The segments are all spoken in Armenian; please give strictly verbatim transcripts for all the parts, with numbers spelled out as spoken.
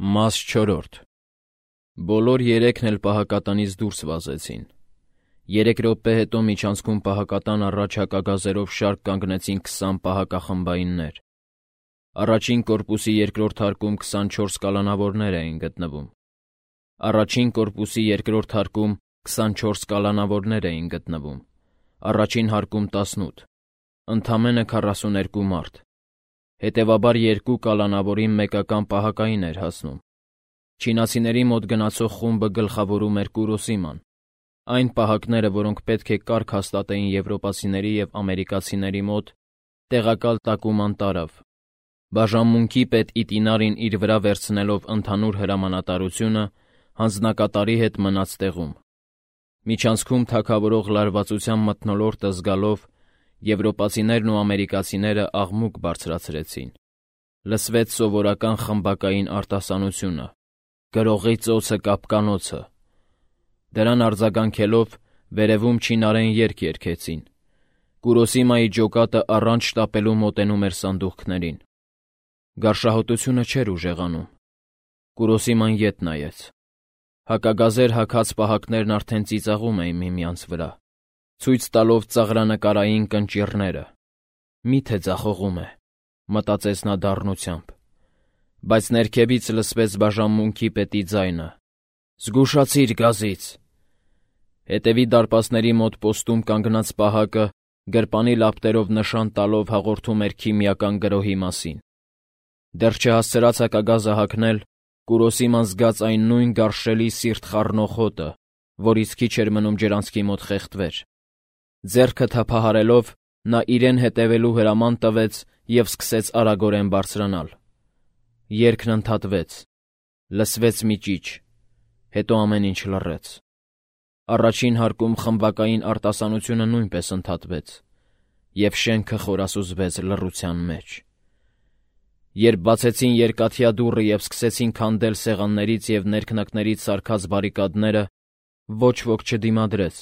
Մաս չորրորդ Բոլոր երեքն էլ պահակատանից դուրս վազեցին։ Երեք րոպե հետո միջանցքում պահակատան առաջ հակագազերով շարք կանգնեցին քսան պահակախմբայիններ։ Առաջին կորպուսի երկրորդ հարկում քսանչորս կալանավորներ էին գտնվում։ Առաջին կորպուսի երկրորդ հարկում քսանչորս կալանավորներ էին գտնվում։ Առաջին հարկում տասնութ, ընդամենը քառասուներկու մարդ։ Հետևաբար երկու կալանավորին մեկական պահակային էր հասնում։ Չինացիների մոտ գնացող խումբը գլխավորում էր Կուրոսիման։ Այն պահակները, որոնք պետք է կարգ հաստատեին եվրոպացիների և ամերիկացիների մոտ, տեղակալ տակուման տարավ։ Բաժանմունքի պետ Իտինարին իր վրա վերցնելով ընդհանուր հրամանատարությունը, հանձնակատարի հետ մնաց տեղում։ Միջանցքում թագավորող լարվածության մթնոլորտը զգալով, եվրոպացիներն ու ամերիկացիները աղմուկ բարձրացրեցին։ Լսվեց սովորական խմբակային արտասանությունը. «Գրողի ծոցը կապկանոցը»։ Դրան արձագանքելով վերևում չինարեն երգ երգեցին։ Կուրոսիմայի ջոկատը առանց շտապելու մոտենում էր սանդուղքներին։ Գարշահոտությունը չէր ուժեղանում։ Կուրոսիման ետ նայեց։ Հակագազեր հագած պահակներն արդեն ծիծաղում էին միմյանց վրա, ցույց տալով ծաղրանկարային կնճիռները։ «Մի՞թե ձախողում է», մտածեց նա դառնությամբ։ Բայց ներքևից լսվեց բաժանմունքի պետի ձայնը. «Զգուշացիր գազից»։ Հետևի դարպասների մոտ պոստում կանգնած պահակը գրպանի լապտերով նշան տալով հաղորդում էր քիմիական գրոհի մասին։ Դեռ չհասցրած հակագազը հագնել, Կուրոսիման զգաց այն նույն գարշելի սիրտ խառնող հոտը, որից քիչ էր մնում ջրանցքի մոտ խեղդվեր։ Ձեռքը թափահարելով, նա իրեն հետևելու հրաման տվեց և սկսեց արագորեն բարձրանալ։ Երգն ընդհատվեց։ Լսվեց մի ճիչ, հետո ամեն ինչ լռեց։ Առաջին հարկում խմբակային արտասանությունը նույնպես ընդհատվեց, և շենքը խորասուզվեց լռության մեջ։ Երբ բացեցին երկաթյա դուռը և սկսեցին քանդել սեղաններից և ներքնակներից սարքած բարիկադները, ոչ ոք չդիմադրեց։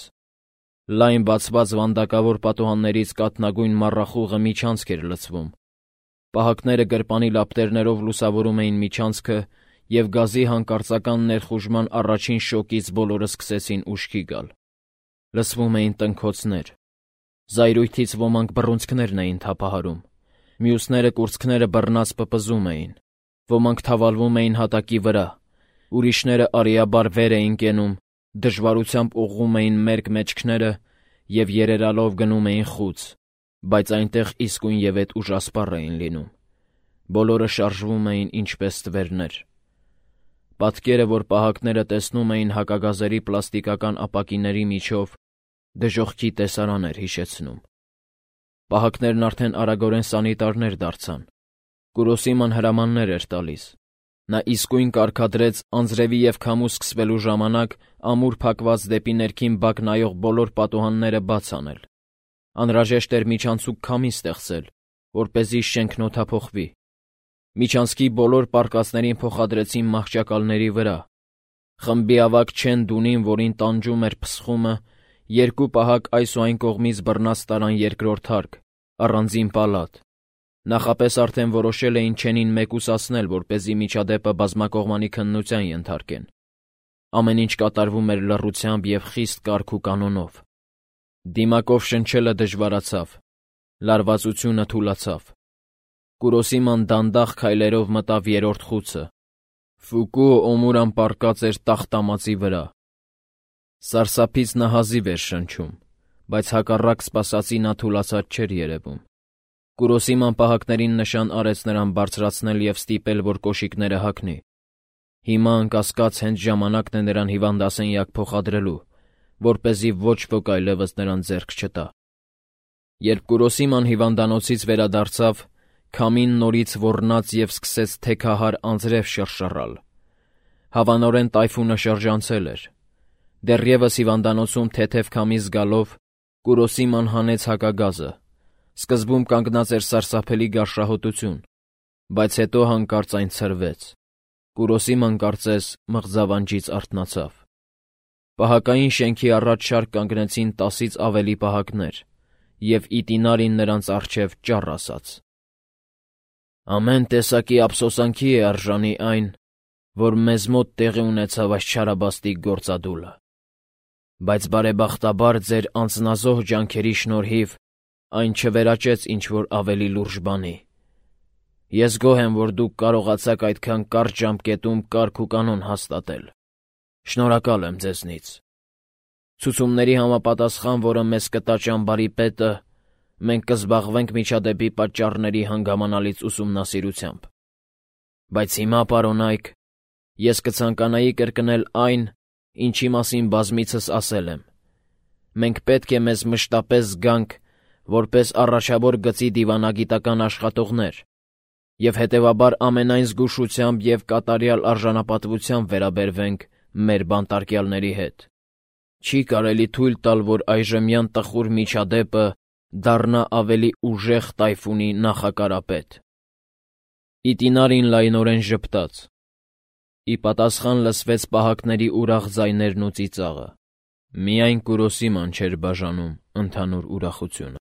Լայն բացված վանդակավոր պատուհաններից կաթնագույն մառախուղը միջանցք էր լցվում։ Պահակները գրպանի լապտերներով լուսավորում էին միջանցքը, և գազի հանկարծական ներխուժման առաջին շոկից բոլորը սկսեցին ուշքի գալ։ Լսվում էին տնքոցներ։ Զայրույթից ոմանք բռունցքներն էին թափահարում, մյուսները կուրծքները բռնած պպզում էին, ոմանք թավալվում էին հատակի վրա, ուրիշները արիաբար վեր էին կենում, դժվարությամբ ուղղում էին մերկ մեջքները և երերալով գնում էին խուց, բայց այնտեղ իսկույնևեթ ուժասպառ էին լինում։ Բոլորը շարժվում էին ինչպես ստվերներ։ Պատկերը, որ պահակները տեսնում էին հակագազերի պլաստիկական ապակիների միջով, դժոխքի տեսարան էր հիշեցնում։ Պահակներն արդեն արագորեն սանիտարներ դարձան։ Կուրոսիման հրամաններ էր տալիս։ Նա իսկույն կարգադրեց անձրևի և քամու սկսվելու ժամանակ ամուր փակված դեպի ներքին բակ նայող բոլոր պատուհանները բաց անել։ Անհրաժեշտ էր միջանցիկ քամի ստեղծել, որպեսզի շենքն օդափոխվի։ Միջանցքի բոլոր պարկածներին փոխադրեցին մահճակալների վրա։ Խմբի ավագ Չեն Դունին, որին տանջում էր փսխումը, երկու պահակ այս ու այն կողմից բռնած տարան երկրորդ հարկ, առանձին պալատ։ Նախապես արդեն որոշել էին Չենին մեկուսացնել, որպեսզի միջադեպը բազմակողմանի քննության ենթարկեն։ Ամեն ինչ կատարվում էր լռությամբ և խիստ կարգ ու կանոնով։ Դիմակով շնչելը դժվարացավ։ Լարվածությունը թուլացավ։ Կուրոսիման դանդաղ քայլերով մտավ երրորդ խուցը։ Ֆուկուո Օմուրան պառկած էր տախտամածի վրա։ Սարսափից նա հազիվ էր շնչում, բայց հակառակ սպասածի նա թուլացած չէր երևում։ Կուրոսիման պահակներին նշան արեց նրան բարձրացնել և ստիպել, որ կոշիկները հագնի։ Հիմա անկասկած հենց ժամանակն է նրան հիվանդասենյակ փոխադրելու, որպեսզի ոչ ոք այլևս նրան ձեռք չտա։ Երբ Կուրոսիման հիվանդանոցից վերադարձավ, քամին նորից ոռնաց և սկսեց թեքահար անձրև շռշռալ։ Հավանորեն տայֆունը շրջանցել էր։ Դեռևս հիվանդանոցում թեթև քամի զգալով, Կուրոսիման հանեց հակագազը։ Սկզբում կանգնած էր սարսափելի գարշահոտություն, բայց հետո հանկարծ այն ցրվեց։ Կուրոսիման կարծես մղձավանջից արթնացավ։ Պահակային շենքի առաջ շարք կանգնեցին տասից ավելի պահակներ, և Իտինարին նրանց առջև ճառ ասաց. «Ամեն տեսակի ափսոսանքի է արժանի այն, որ մեզ մոտ տեղի ունեցավ այս չարաբաստիկ գործադուլը։ Բայց բարեբախտաբար ձեր անձնազոհ ջանքերի շնորհիվ այն չվերաճեց ինչ-որ ավելի լուրջ բանի։ Ես գոհ եմ, որ դուք կարողացաք այդքան կարճ ժամկետում կարգ ու կանոն հաստատել։ Շնորհակալ եմ ձեզնից։ Ցուցումների համապատասխան, որը մեզ կտա ճամբարի պետը, մենք կզբաղվենք միջադեպի պատճառների հանգամանալից ուսումնասիրությամբ։ Բայց հիմա, պարոնայք, ես կցանկանայի կրկնել այն, ինչի մասին բազմիցս ասել եմ։ Մենք պետք է մեզ մշտապես զգանք որպես առաջավոր գծի դիվանագիտական աշխատողներ և հետևաբար ամենայն զգուշությամբ և կատարյալ արժանապատվությամբ վերաբերվենք մեր բանտարկյալների հետ։ Չի կարելի թույլ տալ, որ այժմյան տխուր միջադեպը դառնա ավելի ուժեղ տայֆունի նախակարապետ։ Իտինարին լայնորեն ժպտաց։ Ի պատասխան լսվեց պահակների ուրախ ձայներն ու ծիծաղը։ Միայն Կուրոսիման չէր բաժանում ընդհանուր ուրախությունը։